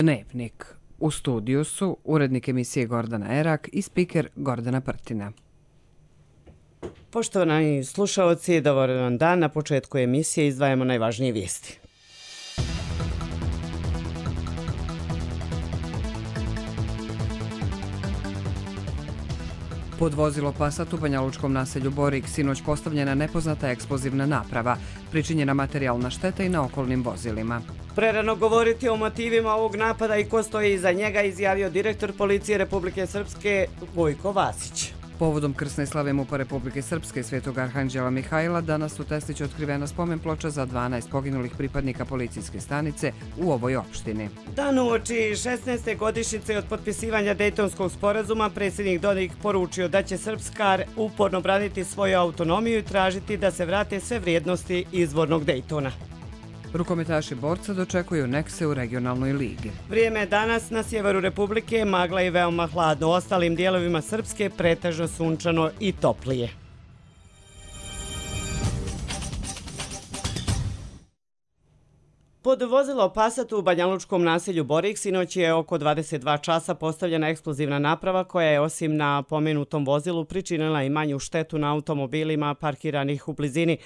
Dnevnik. U studiju su urednik emisije Gordana Erak i spiker Gordana Prtina. Poštovani slušaoci, dobar vam dan. Na početku emisije izdvajamo najvažnije vijesti. Pod vozilo Passat u banjalučkom naselju Borik sinoć postavljena nepoznata eksplozivna naprava, pričinjena materijalna šteta i na okolnim vozilima. Prerano govoriti o motivima ovog napada i ko stoji iza njega, izjavio direktor policije Republike Srpske Gojko Vasić. Povodom krsne slave MUP-a Republike Srpske Svetog Arhanđela Mihajla danas u Tesliću otkrivena spomen ploča za 12 poginulih pripadnika policijske stanice u ovoj opštini. Dan uoči 16. godišnjice od potpisivanja Dejtonskog sporazuma predsjednik Dodik poručio da će Srpska uporno braniti svoju autonomiju i tražiti da se vrate sve vrijednosti izvornog Dejtona. Rukometaši borca dočekuju Nekse u regionalnoj ligi. Vrijeme je danas na sjeveru Republike magla i veoma hladno. U ostalim dijelovima Srpske pretežno sunčano i toplije. Pod vozilo Passat u banjalučkom naselju Borik sinoć je oko 22 časa postavljena eksplozivna naprava koja je osim na pomenutom vozilu pričinila i manju štetu na automobilima parkiranih u blizini.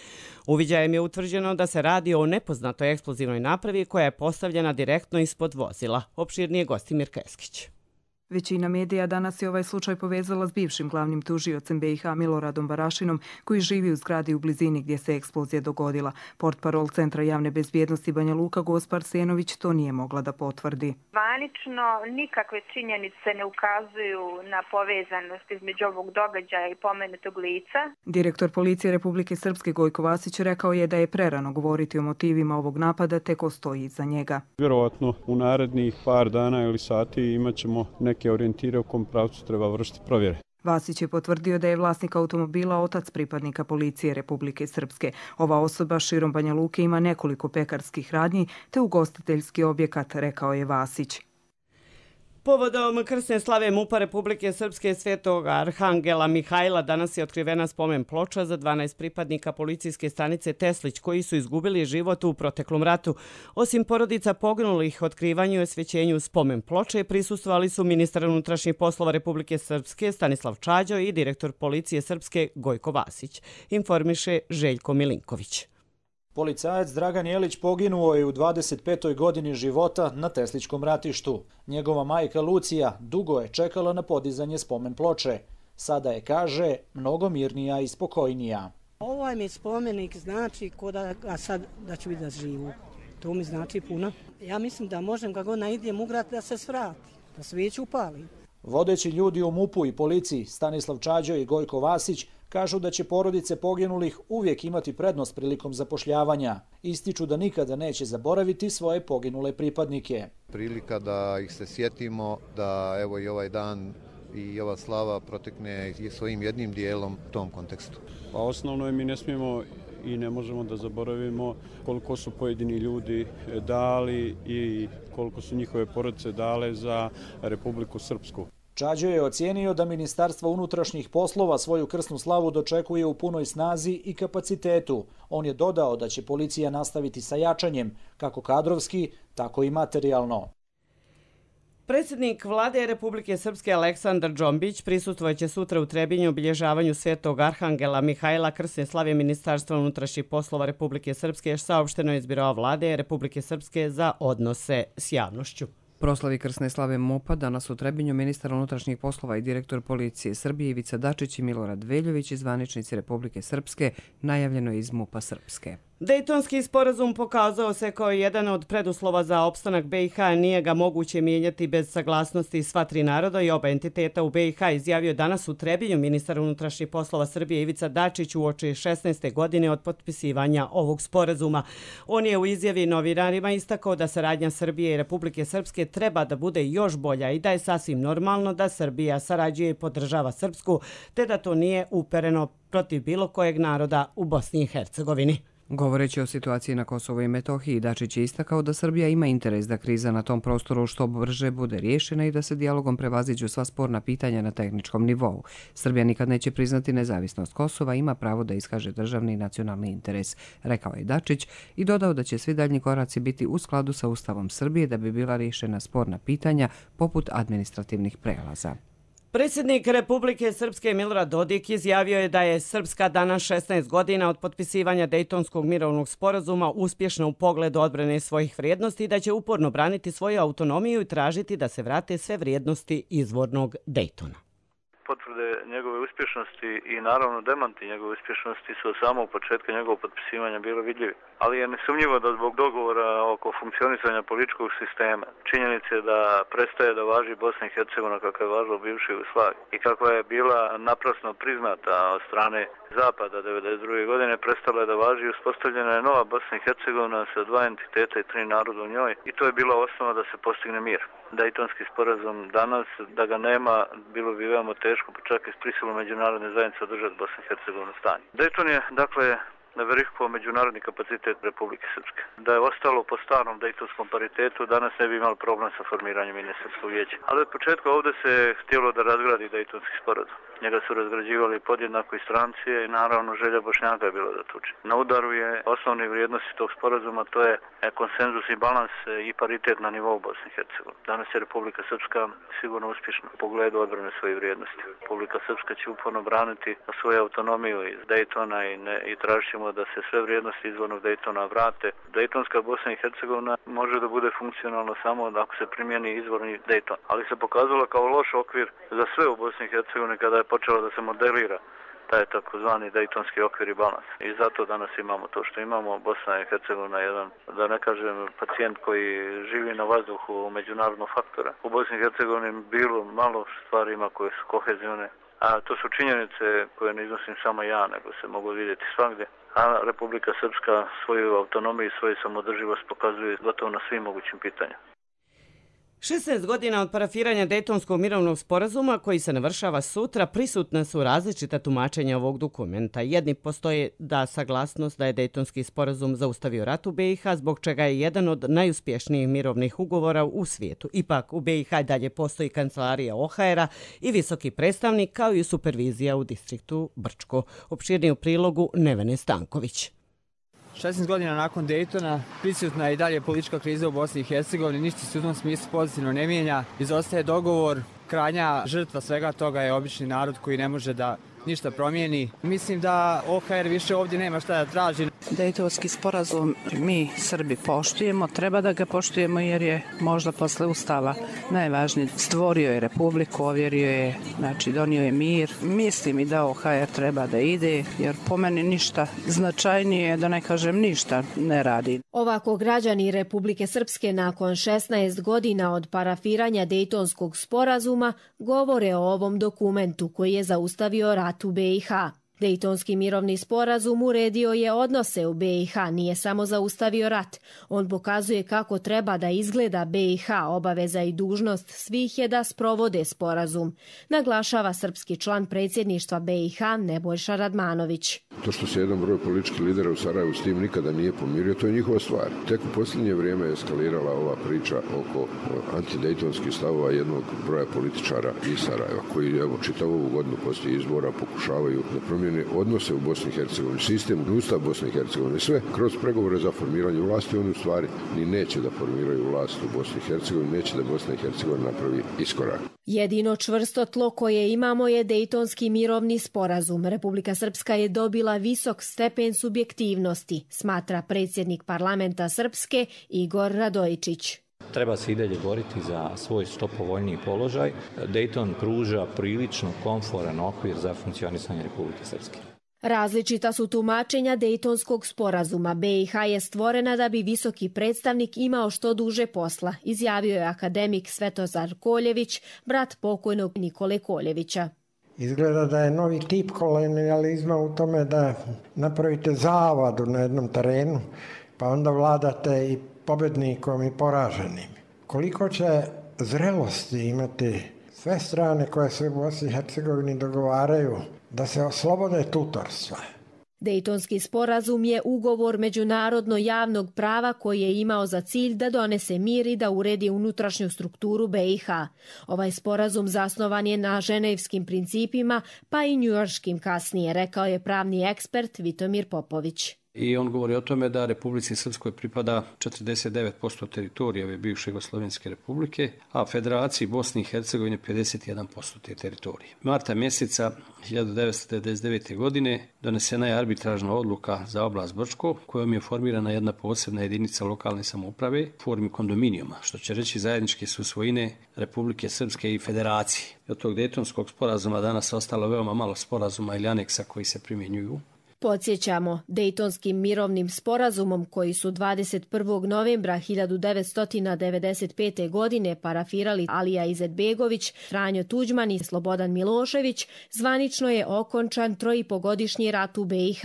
Uviđajem je utvrđeno da se radi o nepoznatoj eksplozivnoj napravi koja je postavljena direktno ispod vozila. Opširnije Gostimir Keskić. Većina medija danas je ovaj slučaj povezala s bivšim glavnim tužiocem BiH Miloradom Barašinom, koji živi u zgradi u blizini gdje se eksplozija dogodila. Portparol Centra javne bezbjednosti Banja Luka Gospa Arsenović to nije mogla da potvrdi. Zvanično nikakve činjenice ne ukazuju na povezanost između ovog događaja i pomenutog lica. Direktor policije Republike Srpske Gojko Vasić rekao je da je prerano govoriti o motivima ovog napada te ko stoji iza njega. Vjerovatno u narednih par dana ili sati imat ćemo neke orijentire u kom pravcu treba vršiti provjere. Vasić je potvrdio da je vlasnik automobila otac pripadnika policije Republike Srpske. Ova osoba širom Banja Luke ima nekoliko pekarskih radnji te ugostiteljski objekat, rekao je Vasić. Povodom krsne slave MUP-a Republike Srpske Svetog Arhangela Mihajla danas je otkrivena spomen ploča za 12 pripadnika policijske stanice Teslić koji su izgubili život u proteklom ratu. Osim porodica poginulih, otkrivanju i osvećenju spomen ploče prisustvovali su ministar unutrašnjih poslova Republike Srpske Stanislav Čađo i direktor policije Srpske Gojko Vasić, informiše Željko Milinković. Policajac Dragan Jelić poginuo je u 25. godini života na Tesličkom ratištu. Njegova majka Lucija dugo je čekala na podizanje spomen ploče. Sada je, kaže, mnogo mirnija i spokojnija. Ovaj mi spomenik znači a sad da ću biti da živu. To mi znači puno. Ja mislim da možem kako naidem ugrati da se svrati, da svijeću upali. Vodeći ljudi u MUP-u i policiji Stanislav Čađo i Gojko Vasić kažu da će porodice poginulih uvijek imati prednost prilikom zapošljavanja. Ističu da nikada neće zaboraviti svoje poginule pripadnike. Prilika da ih se sjetimo, da evo i ovaj dan i ova slava protekne i svojim jednim dijelom u tom kontekstu. Pa osnovno je mi ne smijemo i ne možemo da zaboravimo koliko su pojedini ljudi dali i koliko su njihove porodice dale za Republiku Srpsku. Čađo je ocijenio da Ministarstvo unutrašnjih poslova svoju krsnu slavu dočekuje u punoj snazi i kapacitetu. On je dodao da će policija nastaviti sa jačanjem, kako kadrovski, tako i materijalno. Predsjednik vlade Republike Srpske Aleksandar Džombić prisustvovaće sutra u Trebinju obilježavanju Svetog Arhangela Mihajla krsne slave Ministarstva unutrašnjih poslova Republike Srpske, saopšteno je iz Biroa vlade Republike Srpske za odnose s javnošću. Proslavi krsne slave MUP-a danas u Trebinju ministar unutrašnjih poslova i direktor policije Srbije Ivica Dačić i Milorad Veljović i zvaničnici Republike Srpske, najavljeno je iz MUP-a Srpske. Dejtonski sporazum pokazao se kao jedan od preduslova za opstanak BiH, nije ga moguće mijenjati bez saglasnosti sva tri naroda i oba entiteta u BiH, izjavio danas u Trebinju ministar unutrašnjih poslova Srbije Ivica Dačić uoči 16. godine od potpisivanja ovog sporazuma. On je u izjavi novinarima istakao da saradnja Srbije i Republike Srpske treba da bude još bolja i da je sasvim normalno da Srbija sarađuje i podržava Srpsku, te da to nije upereno protiv bilo kojeg naroda u Bosni i Hercegovini. Govoreći o situaciji na Kosovu i Metohiji, Dačić je istakao da Srbija ima interes da kriza na tom prostoru što brže bude riješena i da se dijalogom prevaziđu sva sporna pitanja na tehničkom nivou. Srbija nikad neće priznati nezavisnost Kosova, ima pravo da iskaže državni i nacionalni interes, rekao je Dačić i dodao da će svi daljnji koraci biti u skladu sa Ustavom Srbije da bi bila riješena sporna pitanja poput administrativnih prelaza. Predsjednik Republike Srpske Milorad Dodik izjavio je da je Srpska danas 16 godina od potpisivanja Dejtonskog mirovnog sporazuma uspješna u pogledu odbrane svojih vrijednosti i da će uporno braniti svoju autonomiju i tražiti da se vrate sve vrijednosti izvornog Dejtona. Potvrde njegove uspješnosti i naravno demanti njegove uspješnosti su od samog početka njegovog potpisivanja bilo vidljivi. Ali je nesumnjivo da zbog dogovora oko funkcionisanja političkog sistema, činjenice da prestaje da važi Bosna i Hercegovina kako je važila u bivšoj Jugoslaviji i kakva je bila naprasno priznata od strane Zapada 1992. godine, prestala je da važi i uspostavljena je nova Bosna i Hercegovina sa 2 entiteta i 3 naroda u njoj i to je bila osnova da se postigne mir. Dejtonski sporazum danas, da ga nema, bilo bi veoma teško, pa čak i s prisilom međunarodne zajednice održati Bosna i Hercegovina stanje. Dejton je, dakle, verifikovao međunarodni kapacitet Republike Srpske. Da je ostalo po starom dejtonskom paritetu, danas ne bi imali problem sa formiranjem ministarskog vijeća. Ali od početka ovdje se htjelo da razgradi dejtonski sporazum. Njega su razgrađivali podjednako i stranci i naravno želja Bošnjaka je bila da tuče. Na udaru je osnovne vrijednosti tog sporazuma, to je konsenzus i balans i paritet na nivou Bosne i Hercegovine. Danas je Republika Srpska sigurno uspješna u pogledu odbrane svojih vrijednosti. Republika Srpska će uporno braniti svoju autonomiju iz Dejtona i tražit ćemo da se sve vrijednosti izvornog Dejtona vrate. Dejtonska Bosna i Hercegovina može da bude funkcionalna samo ako se primjeni izvorni Dejton. Ali se pokazalo kao loš okvir za sve u Bosni i Hercegovini kada je počelo da se modelira taj takozvani dejtonski okvir i balans. I zato danas imamo to što imamo. Bosna i Hercegovina je jedan, da ne kažem, pacijent koji živi na vazduhu međunarodnog faktora. U Bosni i Hercegovini bilo malo stvarima koje su kohezivne, a to su činjenice koje ne iznosim samo ja, nego se mogu vidjeti svagdje. A Republika Srpska svoju autonomiju i svoju samodrživost pokazuje gotovo na svim mogućim pitanjima. 16 godina od parafiranja Dejtonskog mirovnog sporazuma koji se navršava sutra, prisutna su različita tumačenja ovog dokumenta. Jedni postoje da saglasnost da je Dejtonski sporazum zaustavio rat u BiH, zbog čega je jedan od najuspješnijih mirovnih ugovora u svijetu. Ipak u BiH dalje postoji kancelarija OHR-a i visoki predstavnik kao i supervizija u distriktu Brčko. Opširnije u prilogu Nevene Stanković. 16 godina nakon Dejtona prisutna je i dalje politička kriza u Bosni i Hercegovini, ništa se u tom smislu pozitivno ne mijenja, izostaje dogovor, krajnja žrtva svega toga je obični narod koji ne može da ništa promijeni. Mislim da OHR više ovdje nema šta da traži. Dejtonski sporazum mi Srbi poštujemo, treba da ga poštujemo jer je možda posle Ustava najvažniji. Stvorio je republiku, ovjerio je, znači donio je mir. Mislim i da OHR treba da ide jer po meni ništa značajnije, da ne kažem ništa, ne radi. Ovako građani Republike Srpske nakon 16 godina od parafiranja Dejtonskog sporazuma govore o ovom dokumentu koji je zaustavio rat u BiH. Dejtonski mirovni sporazum uredio je odnose u BiH, nije samo zaustavio rat. On pokazuje kako treba da izgleda BiH, obaveza i dužnost svih je da sprovode sporazum, naglašava srpski član predsjedništva BiH Nebojša Radmanović. To što se jedan broj političkih lidera u Sarajevu s tim nikada nije pomirio, to je njihova stvar. Tek u posljednje vrijeme je eskalirala ova priča oko antidejtonskih stavova jednog broja političara iz Sarajeva, koji evo čitavu ovu godinu poslije izbora pokušavaju da promijene odnose u Bosni i Hercegovini, sistem, Ustav Bosne i Hercegovine, sve kroz pregovore za formiranje vlasti, oni u stvari ni neće da formiraju vlast u Bosni i Hercegovini, neće da Bosna i Hercegovina napravi iskorak. Jedino čvrsto tlo koje imamo je Dejtonski mirovni sporazum. Republika Srpska je dobila visok stepen subjektivnosti, smatra predsjednik parlamenta Srpske Igor Radojičić. Treba se i dalje boriti za svoj što povoljniji položaj. Dejton pruža prilično komforan okvir za funkcionisanje Republike Srpske. Različita su tumačenja Dejtonskog sporazuma. BiH je stvorena da bi visoki predstavnik imao što duže posla, izjavio je akademik Svetozar Koljević, brat pokojnog Nikole Koljevića. Izgleda da je novi tip kolonijalizma u tome da napravite zavadu na jednom terenu, pa onda vladate i pobjednikom i poraženim. Koliko će zrelosti imati sve strane koje se u Bosni i Hercegovini dogovaraju da se oslobode tutorstva? Dejtonski sporazum je ugovor međunarodno javnog prava koji je imao za cilj da donese mir i da uredi unutrašnju strukturu BiH. Ovaj sporazum zasnovan je na ženevskim principima, pa i njujorškim kasnije, rekao je pravni ekspert Vitomir Popović. I on govori o tome da Republici Srpskoj pripada 49% teritorija ove bivše Jugoslovenske republike, a Federaciji Bosne i Hercegovine 51% te teritorije. Marta mjeseca 1999. godine donesena je arbitražna odluka za oblast Brčko, kojom je formirana jedna posebna jedinica lokalne samouprave u formi kondominijuma, što će reći zajedničke su svojine Republike Srpske i Federacije. Od tog Dejtonskog sporazuma danas ostalo veoma malo sporazuma ili aneksa koji se primjenjuju. Podsjećamo, Dejtonskim mirovnim sporazumom koji su 21. novembra 1995. godine parafirali Alija Izetbegović, Franjo Tuđman i Slobodan Milošević, zvanično je okončan 3,5-godišnji rat u BiH.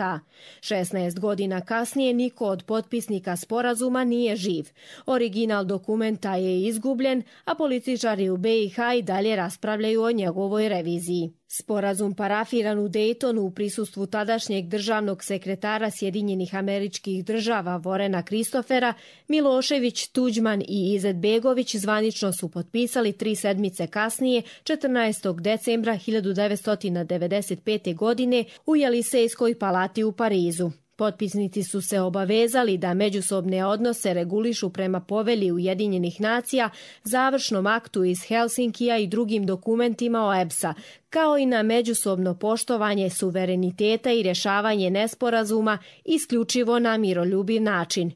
16 godina kasnije niko od potpisnika sporazuma nije živ. Original dokumenta je izgubljen, a političari u BiH i dalje raspravljaju o njegovoj reviziji. Sporazum parafiran u Dejtonu u prisustvu tadašnjeg državnog sekretara Sjedinjenih Američkih Država Vorena Kristofera, Milošević, Tuđman i Izetbegović zvanično su potpisali 3 sedmice kasnije, 14. decembra 1995. godine u Jelisejskoj palati u Parizu. Potpisnici su se obavezali da međusobne odnose regulišu prema povelji Ujedinjenih nacija, završnom aktu iz Helsinkija i drugim dokumentima OEBS-a, kao i na međusobno poštovanje suvereniteta i rješavanje nesporazuma isključivo na miroljubiv način.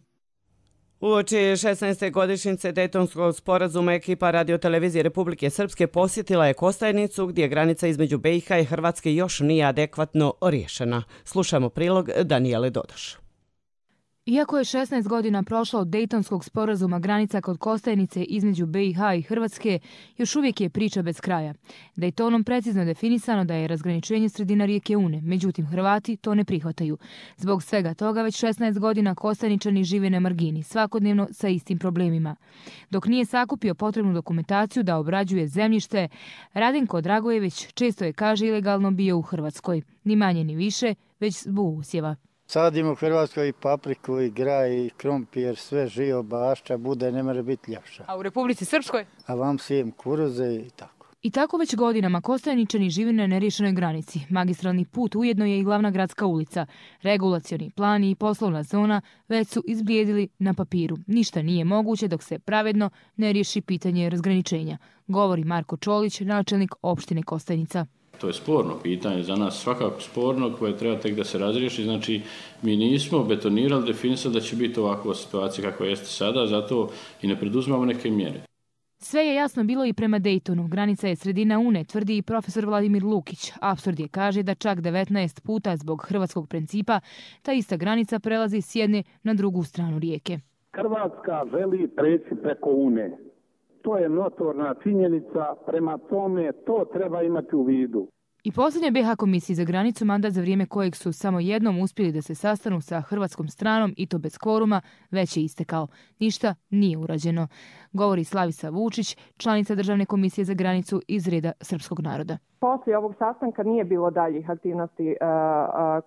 Uoči 16. godišnjice Dejtonskog sporazuma ekipa radiotelevizije Republike Srpske posjetila je Kostajnicu gdje granica između BiH i Hrvatske još nije adekvatno riješena. Slušamo prilog Danijele Dodoš. Iako je 16 godina prošlo od Dejtonskog sporazuma, granica kod Kostajnice između BiH i Hrvatske još uvijek je priča bez kraja. Dejtonom precizno definisano da je razgraničenje sredina rijeke Une, međutim Hrvati to ne prihvataju. Zbog svega toga već 16 godina Kostajničani žive na margini, svakodnevno sa istim problemima. Dok nije sakupio potrebnu dokumentaciju da obrađuje zemljište, Radenko Dragojević često je, kaže, ilegalno bio u Hrvatskoj. Ni manje ni više, već zbog usjeva. Sadimo u Hrvatskoj i papriku, i graj, i krompir, sve živo, bašća, bude, ne može biti ljepša. A u Republici Srpskoj? A vam sijem kuruze i tako. I tako već godinama Kostajničani žive na neriješenoj granici. Magistralni put ujedno je i glavna gradska ulica. Regulacioni plan i poslovna zona već su izblijedili na papiru. Ništa nije moguće dok se pravedno ne riješi pitanje razgraničenja, govori Marko Čolić, načelnik opštine Kostajnica. To je sporno pitanje, za nas svakako sporno, koje treba tek da se razriješi. Znači, mi nismo betonirali, definisali da će biti ovakva situacija kakva jeste sada, zato i ne preduzmamo neke mjere. Sve je jasno bilo i prema Dejtonu. Granica je sredina Une, tvrdi i profesor Vladimir Lukić. Apsurd je, kaže, da čak 19 puta zbog hrvatskog principa ta ista granica prelazi s jedne na drugu stranu rijeke. Hrvatska želi preći preko Une. To je notorna činjenica, prema tome to treba imati u vidu. I posljednja BiH komisiji za granicu, mandat za vrijeme kojeg su samo jednom uspjeli da se sastanu sa hrvatskom stranom i to bez kvoruma, već je istekao. Ništa nije urađeno, govori Slavica Vučić, članica Državne komisije za granicu iz reda srpskog naroda. Poslije ovog sastanka nije bilo daljih aktivnosti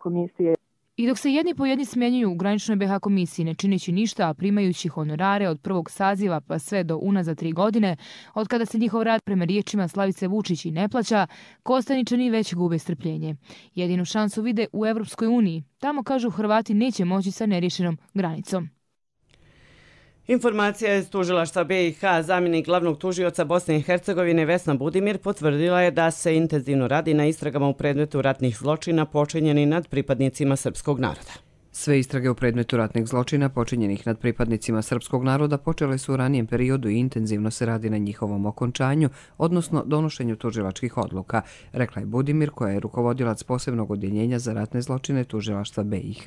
komisije. I dok se jedni po jedni smjenjuju u graničnoj BiH komisiji, ne čineći ništa, a primajući honorare od prvog saziva pa sve do unazad 3 godine, od kada se njihov rad prema riječima Slavice Vučić i ne plaća, Kostajničani već gube strpljenje. Jedinu šansu vide u Evropskoj uniji. Tamo, kažu, Hrvati neće moći sa neriješenom granicom. Informacija iz tužilaštva BiH, zamjenik glavnog tužioca Bosne i Hercegovine Vesna Budimir potvrdila je da se intenzivno radi na istragama u predmetu ratnih zločina počinjeni nad pripadnicima srpskog naroda. Sve istrage u predmetu ratnih zločina počinjenih nad pripadnicima srpskog naroda počele su u ranijem periodu i intenzivno se radi na njihovom okončanju, odnosno donošenju tužilačkih odluka, rekla je Budimir, koja je rukovodilac posebnog odjeljenja za ratne zločine tužilaštva BiH.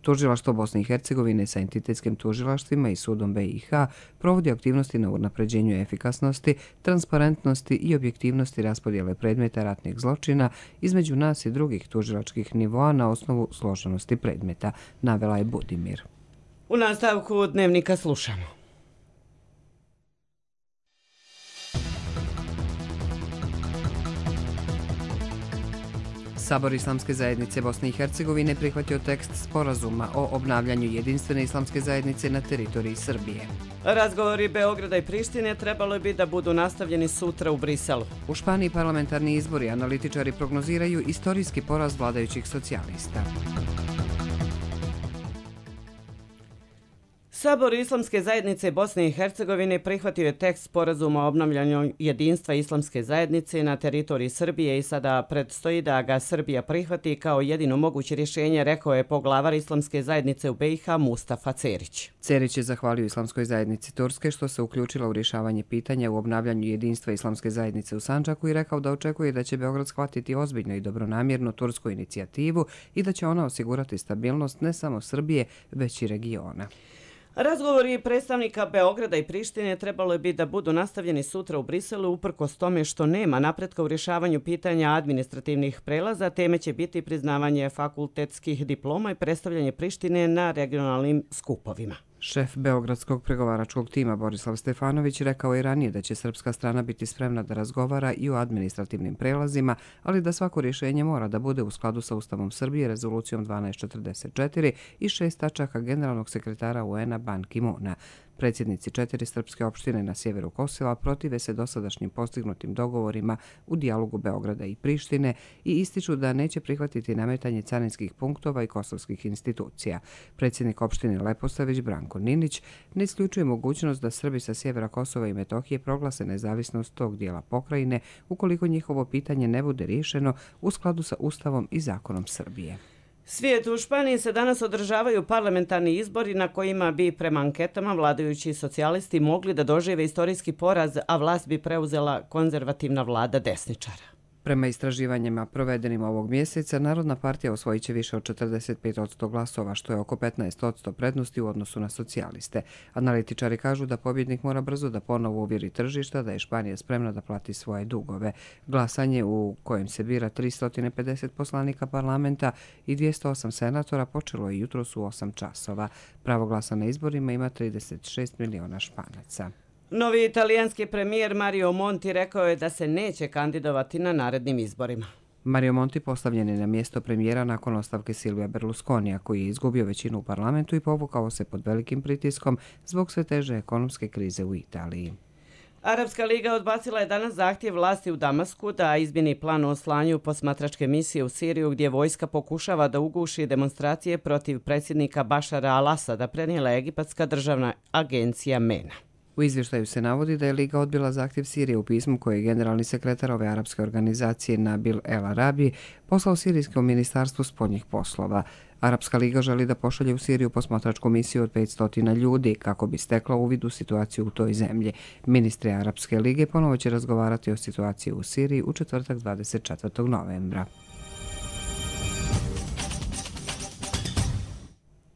Tužilaštvo Bosne i Hercegovine sa entitetskim tužilaštvima i sudom BiH provodi aktivnosti na unapređenju efikasnosti, transparentnosti i objektivnosti raspodjele predmeta ratnih zločina između nas i drugih tužilačkih nivoa na osnovu složenosti predmeta, navela je Budimir. U nastavku dnevnika slušamo. Sabor Islamske zajednice Bosne i Hercegovine prihvatio tekst sporazuma o obnavljanju jedinstvene islamske zajednice na teritoriji Srbije. Razgovori Beograda i Prištine trebalo bi da budu nastavljeni sutra u Briselu. U Španiji parlamentarni izbori, analitičari prognoziraju istorijski poraz vladajućih socijalista. Sabor Islamske zajednice Bosne i Hercegovine prihvatio je tekst sporazuma o obnavljanju jedinstva Islamske zajednice na teritoriji Srbije i sada predstoji da ga Srbija prihvati kao jedino moguće rješenje, rekao je poglavar Islamske zajednice u BiH Mustafa Cerić. Cerić je zahvalio Islamskoj zajednici Turske što se uključila u rješavanje pitanja u obnavljanju jedinstva Islamske zajednice u Sandžaku i rekao da očekuje da će Beograd shvatiti ozbiljno i dobronamjerno tursku inicijativu i da će ona osigurati stabilnost ne samo Srbije, već i regiona. Razgovori predstavnika Beograda i Prištine trebalo bi da budu nastavljeni sutra u Briselu uprkos tome što nema napretka u rješavanju pitanja administrativnih prelaza. Teme će biti priznavanje fakultetskih diploma i predstavljanje Prištine na regionalnim skupovima. Šef beogradskog pregovaračkog tima Borislav Stefanović rekao je ranije da će srpska strana biti spremna da razgovara i o administrativnim prelazima, ali da svako rješenje mora da bude u skladu sa Ustavom Srbije, rezolucijom 1244 i 6 tačaka generalnog sekretara UN-a Ban Ki-moona. Predsjednici 4 srpske opštine na sjeveru Kosova protive se dosadašnjim postignutim dogovorima u dijalogu Beograda i Prištine i ističu da neće prihvatiti nametanje carinskih punktova i kosovskih institucija. Predsjednik opštine Leposavić Branko Ninić ne isključuje mogućnost da Srbi sa sjevera Kosova i Metohije proglase nezavisnost tog dijela pokrajine ukoliko njihovo pitanje ne bude riješeno u skladu sa Ustavom i zakonom Srbije. Svijet u Španiji se danas održavaju parlamentarni izbori na kojima bi prema anketama vladajući socijalisti mogli da dožive istorijski poraz, a vlast bi preuzela konzervativna vlada desničara. Prema istraživanjima provedenim ovog mjeseca, Narodna partija osvojit će više od 45% glasova, što je oko 15% prednosti u odnosu na socijaliste. Analitičari kažu da pobjednik mora brzo da ponovo uvjeri tržišta da je Španija spremna da plati svoje dugove. Glasanje u kojem se bira 350 poslanika parlamenta i 208 senatora počelo je jutros u 8 časova. Pravo glasa na izborima ima 36 miliona Španaca. Novi italijanski premijer Mario Monti rekao je da se neće kandidovati na narednim izborima. Mario Monti postavljen je na mjesto premijera nakon ostavke Silvija Berlusconija, koji je izgubio većinu u parlamentu i povukao se pod velikim pritiskom zbog sve teže ekonomske krize u Italiji. Arapska liga odbacila je danas zahtjev vlasti u Damasku da izmjeni plan o slanju posmatračke misije u Siriju gdje vojska pokušava da uguši demonstracije protiv predsjednika Bašara al-Asada, prenijela egipatska državna agencija MENA. U izvještaju se navodi da je Liga odbila zahtjev Sirije u pismu koje je generalni sekretar ove arapske organizacije Nabil El Arabi poslao Sirijskom ministarstvu spoljnih poslova. Arapska liga želi da pošalje u Siriju posmatračku misiju od 500 ljudi kako bi stekla uvid u situaciju u toj zemlji. Ministri Arapske lige ponovo će razgovarati o situaciji u Siriji u četvrtak 24. novembra.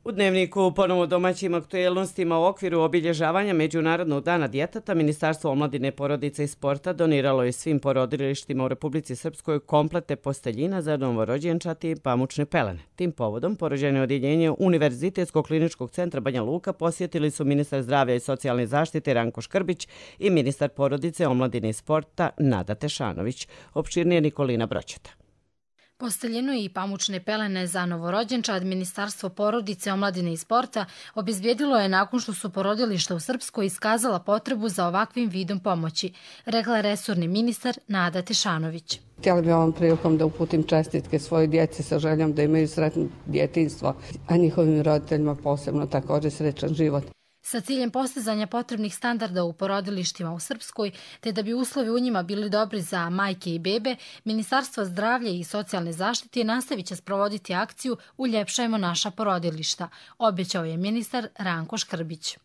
U Dnevniku ponovo domaćim aktuelnostima u okviru obilježavanja Međunarodnog dana djeteta, Ministarstvo omladine, porodice i sporta doniralo je svim porodilištima u Republici Srpskoj komplete posteljina za novorođenčati i pamučne pelene. Tim povodom porođajno odjeljenje Univerzitetskog kliničkog centra Banja Luka posjetili su ministar zdravlja i socijalne zaštite Ranko Škrbić i ministar porodice, omladine i sporta Nada Tešanović. Opširnije Nikolina Broćeta. Posteljinu i pamučne pelene za novorođenčad Ministarstvo porodice, omladine i sporta obezbijedilo je nakon što su porodilišta u Srpskoj iskazala potrebu za ovakvim vidom pomoći, rekla je resorni ministar Nada Tešanović. Htjela bih ovom prilikom da uputim čestitke svojoj djeci sa željom da imaju sretno djetinjstvo, a njihovim roditeljima posebno također srećan život. Sa ciljem postizanja potrebnih standarda u porodilištima u Srpskoj, te da bi uslovi u njima bili dobri za majke i bebe, Ministarstvo zdravlja i socijalne zaštite nastavit će sprovoditi akciju Uljepšajmo naša porodilišta, obećao je ministar Ranko Škrbić.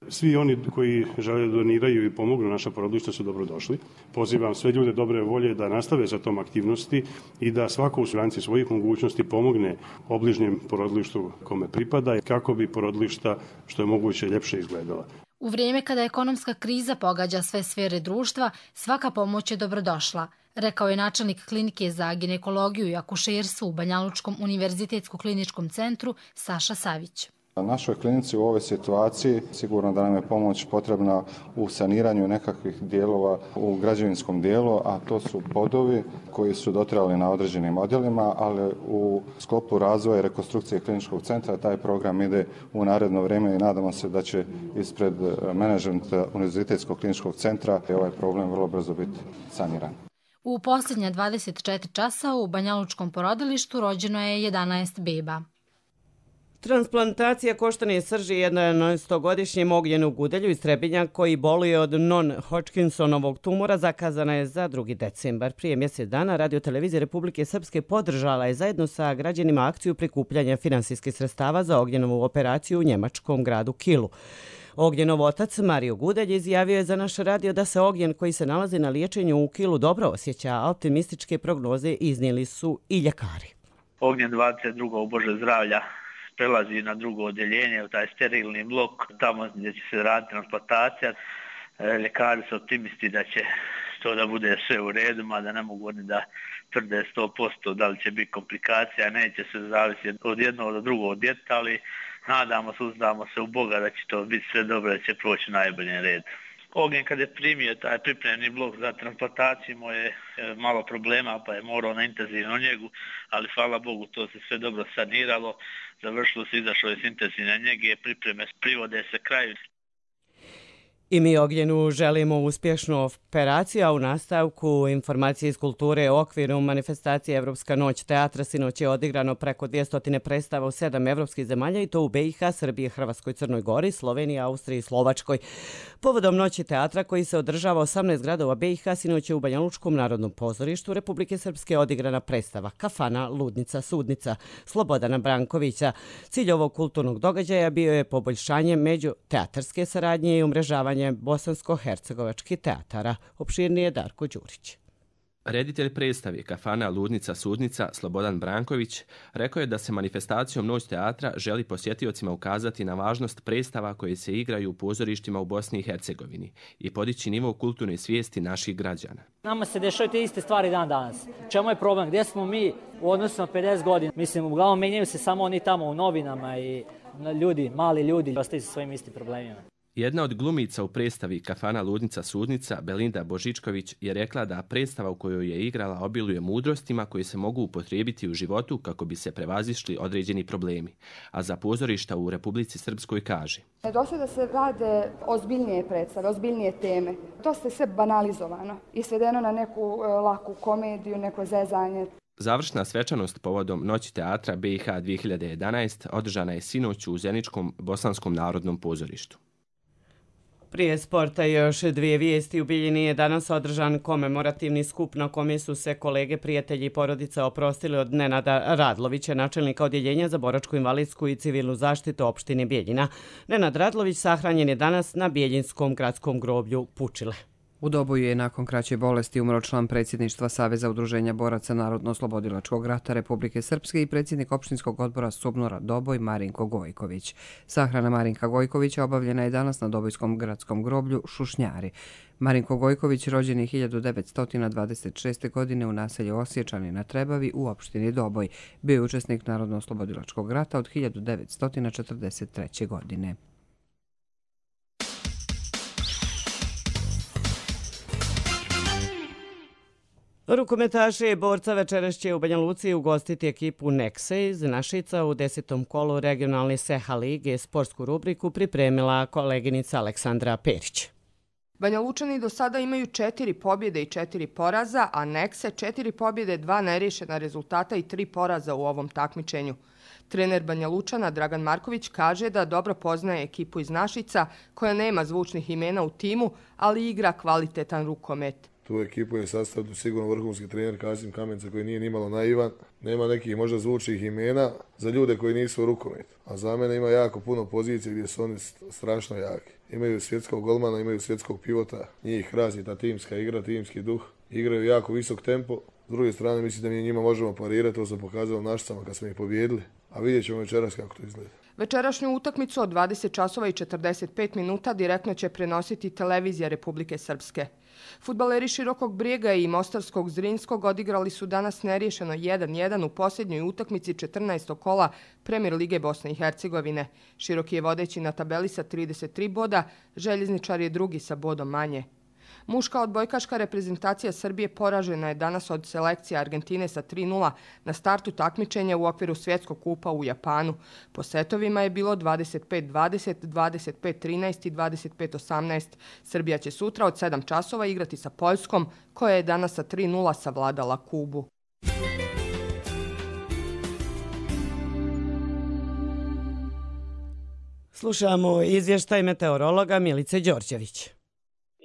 Svi oni koji žele da doniraju i pomognu naša porodilišta su dobrodošli. Pozivam sve ljude dobre volje da nastave sa tom aktivnosti i da svako u granici svojih mogućnosti pomogne obližnjem porodilištu kome pripada kako bi porodilišta što je moguće ljepše izgledala. U vrijeme kada ekonomska kriza pogađa sve sfere društva, svaka pomoć je dobrodošla, rekao je načelnik klinike za ginekologiju i akušerstvo u Banjalučkom univerzitetskom kliničkom centru Saša Savić. Našoj klinici u ovoj situaciji sigurno da nam je pomoć potrebna u saniranju nekakvih dijelova u građevinskom dijelu, a to su podovi koji su dotrajali na određenim odjelima, ali u sklopu razvoja i rekonstrukcije kliničkog centra taj program ide u naredno vrijeme i nadamo se da će ispred menadžmenta Univerzitetskog kliničkog centra ovaj problem vrlo brzo biti saniran. U posljednja 24 časa u Banjalučkom porodilištu rođeno je 11 beba. Transplantacija koštane srži jedanaestogodišnjem Ognjenu Gudelju iz Trebinja koji boluje od non-Hodgkinsonovog tumora zakazana je za 2. decembar. Prije mjesec dana Radio-televizija Republike Srpske podržala je zajedno sa građanima akciju prikupljanja finansijskih sredstava za Ognjenovu operaciju u njemačkom gradu Kielu. Ognjenov otac Mario Gudelj izjavio je za naš radio da se Ognjen koji se nalazi na liječenju u Kielu dobro osjeća, a optimističke prognoze iznijeli su i ljekari. Ognjen 22. u Bože zdravlja prelazi na drugo odjeljenje, u taj sterilni blok, tamo gdje će se raditi transplantacija. Ljekari su optimisti da će to da bude sve u redu, mada ne mogu oni da tvrde 100% da li će biti komplikacija, neće se zavisiti od jednog do drugog djeteta, ali uzdamo se u Boga da će to biti sve dobro, da će proći najbolji red. Ognjen kad je primio taj pripremni blok za transplantaciju imao je malo problema pa je morao na intenzivnu njegu, ali hvala Bogu to se sve dobro saniralo, završilo se, izašlo je s intenzivne njege, pripreme privode se kraju. I mi Ognjenu želimo uspješnu operaciju, a u nastavku informacije iz kulture u okviru manifestacije Evropska noć teatra sinoć je odigrano preko 200 predstava u 7 evropskih zemalja i to u BiH, Srbiji, Hrvatskoj, Crnoj Gori, Sloveniji, Austriji i Slovačkoj. Povodom noći teatra koji se održava 18 gradova BiH, sinoć je u Banjalučkom narodnom pozorištu Republike Srpske odigrana predstava Kafana, Ludnica, Sudnica Slobodana Brankovića. Cilj ovog kulturnog događaja bio je poboljšanje međuteatarske saradnje i umrežavanje bosansko-hercegovačkih teatara. Opširnije Darko Đurić. Reditelj predstave Kafana, Ludnica, Sudnica Slobodan Branković rekao je da se manifestacijom Noć teatra želi posjetiocima ukazati na važnost predstava koje se igraju u pozorištima u Bosni i Hercegovini i podići nivo kulturne svijesti naših građana. Nama se dešavaju te iste stvari dan danas. Čemu je problem? Gdje smo mi u odnosu na 50 godina? Mislim, uglavnom menjaju se samo oni tamo u novinama i ljudi, mali ljudi, ostaju sa svojim istim problemima. Jedna od glumica u predstavi Kafana, Ludnica, Sudnica, Belinda Božičković, je rekla da predstava u kojoj je igrala obiluje mudrostima koje se mogu upotrijebiti u životu kako bi se prevazišli određeni problemi. A za pozorišta u Republici Srpskoj kaže: Došlo da se rade ozbiljnije predstave, ozbiljnije teme. To je sve banalizovano i svedeno na neku laku komediju, neko zezanje. Završna svečanost povodom Noći teatra BiH 2011 održana je sinoć u Zeničkom Bosanskom narodnom pozorištu. Prije sporta još 2 vijesti. U Bijeljini je danas održan komemorativni skup na kome su se kolege, prijatelji i porodica oprostili od Nenada Radlovića, načelnika odjeljenja za boračku, invalidsku i civilnu zaštitu opštine Bijeljina. Nenad Radlović sahranjen je danas na Bijeljinskom gradskom groblju Pučile. U Doboju je nakon kraće bolesti umro član predsjedništva Saveza udruženja boraca Narodno-oslobodilačkog rata Republike Srpske i predsjednik opštinskog odbora Subnora Doboj Marinko Gojković. Sahrana Marinka Gojkovića obavljena je danas na Dobojskom gradskom groblju Šušnjari. Marinko Gojković rođen je 1926. godine u naselju Osječani na Trebavi u opštini Doboj. Bio je učesnik Narodno-oslobodilačkog rata od 1943. godine. Rukometaši i borca večeras će u Banja Luci ugostiti ekipu Nekse iz Našica u 10. kolu regionalne SEHA lige. Sportsku rubriku pripremila koleginica Aleksandra Perić. Banja Lučani do sada imaju 4 pobjede i 4 poraza, a Nekse 4 pobjede, 2 neriješena rezultata i 3 poraza u ovom takmičenju. Trener Banja Lučana Dragan Marković kaže da dobro poznaje ekipu iz Našica koja nema zvučnih imena u timu, ali igra kvalitetan rukomet. Tu ekipu je sastavio sigurno vrhunski trener Kasim Kamenca koji nije nimalo naivan. Nema nekih možda zvučnih imena za ljude koji nisu u rukometu. A za mene ima jako puno pozicije gdje su oni strašno jaki. Imaju svjetskog golmana, imaju svjetskog pivota. Njih razi ta timska igra, timski duh. Igraju jako visok tempo. S druge strane mislim da mi njima možemo parirati. To sam pokazao Našicama kad smo ih pobijedili. A vidjet ćemo večeras kako to izgleda. Večerašnju utakmicu od 20 časova i 45 minuta direktno će prenositi televizija Republike Srpske. Fudbaleri Širokog Brijega i Mostarskog Zrinskog odigrali su danas neriješeno 1-1 u posljednjoj utakmici 14. kola Premier lige Bosne i Hercegovine. Široki je vodeći na tabeli sa 33 boda, Željezničar je drugi sa bodom manje. Muška odbojkaška reprezentacija Srbije poražena je danas od selekcije Argentine sa 3:0 na startu takmičenja u okviru Svjetskog kupa u Japanu. Po setovima je bilo 25-20, 25-13 i 25-18. Srbija će sutra od 7 časova igrati sa Poljskom, koja je danas sa 3:0 savladala Kubu. Slušamo izvještaj meteorologa Milice Đorđević.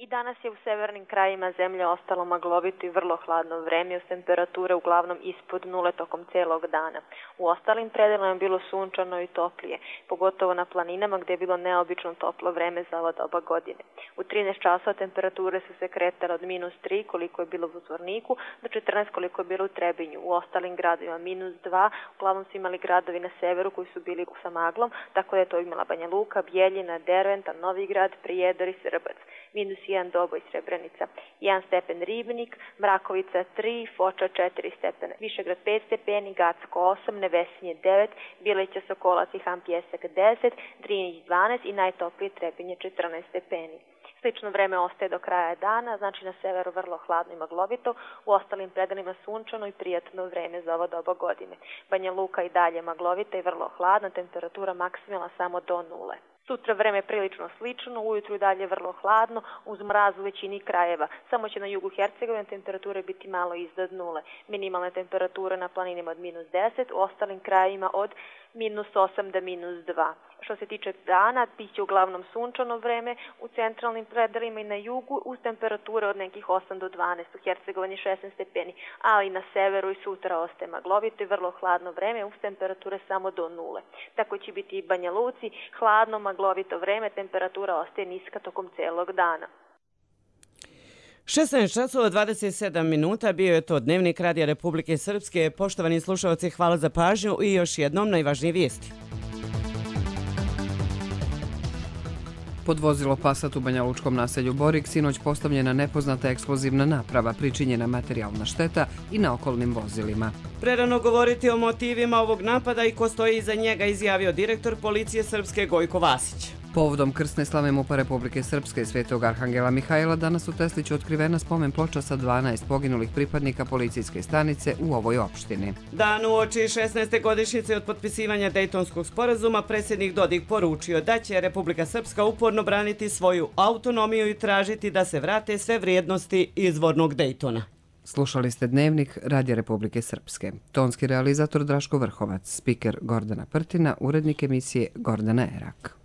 I danas je u severnim krajima zemlje ostalo maglovito i vrlo hladno vreme uz temperature uglavnom ispod nule tokom celog dana. U ostalim predelima je bilo sunčano i toplije, pogotovo na planinama gdje je bilo neobično toplo vreme za ova doba godine. U 13 časova temperature su se kretale od -3 koliko je bilo u Zvorniku do 14 koliko je bilo u Trebinju. U ostalim gradovima -2, uglavnom su imali gradovi na severu koji su bili sa maglom, tako da je to imala Banja Luka, Bjeljina, Derventa, Novi Grad, Prijedor i Srbac. -1 Doboj, Srebrenica, 1 stepen Ribnik, Mrakovica 3, Foča 4 stepena, Višegrad 5 stepeni, Gacko 8, Nevesinje 9, Bileća, Sokolac i Han Pjesak 10, Drinić 12 i najtoplije Trebinje 14 stepeni. Slično vreme ostaje do kraja dana, znači na severu vrlo hladno i maglovito, u ostalim predelima sunčano i prijatno vreme za ovo doba godine. Banja Luka i dalje maglovita i vrlo hladna, temperatura maksimalna samo do 0. Sutra vreme prilično slično, ujutru i dalje vrlo hladno, uz mraz u većini krajeva. Samo će na jugu Hercegovine temperature biti malo iznad 0. Minimalne temperature na planinima od -10, u ostalim krajevima od -8 do -2. Što se tiče dana, bit će uglavnom sunčano vreme u centralnim predelima i na jugu uz temperature od nekih 8 do 12, u Hercegovini 16 stepeni, ali na severu i sutra ostaje maglovito i vrlo hladno vreme uz temperature samo do 0. Tako će biti i Banja Luci, hladno, maglovito vreme, temperatura ostaje niska tokom celog dana. 16 časova 27 minuta bio je to Dnevnik Radija Republike Srpske. Poštovani slušalci, hvala za pažnju i još jednom najvažnije vijesti. Pod vozilo Passat u banjalučkom naselju Borik sinoć postavljena nepoznata eksplozivna naprava, pričinjena materijalna šteta i na okolnim vozilima. Prerano govoriti o motivima ovog napada i ko stoji iza njega, izjavio direktor policije Srpske Gojko Vasić. Povodom krsne slave MUP-a Republike Srpske Svetog Arhangela Mihajla danas u Tesliću otkrivena spomen ploča sa 12 poginulih pripadnika policijske stanice u ovoj opštini. Dan uoči 16. godišnjice od potpisivanja Dejtonskog sporazuma predsjednik Dodik poručio da će Republika Srpska uporno braniti svoju autonomiju i tražiti da se vrate sve vrijednosti izvornog Dejtona. Slušali ste Dnevnik Radija Republike Srpske. Tonski realizator Draško Vrhovac, spiker Gordana Prtina, urednik emisije Gordana Erak.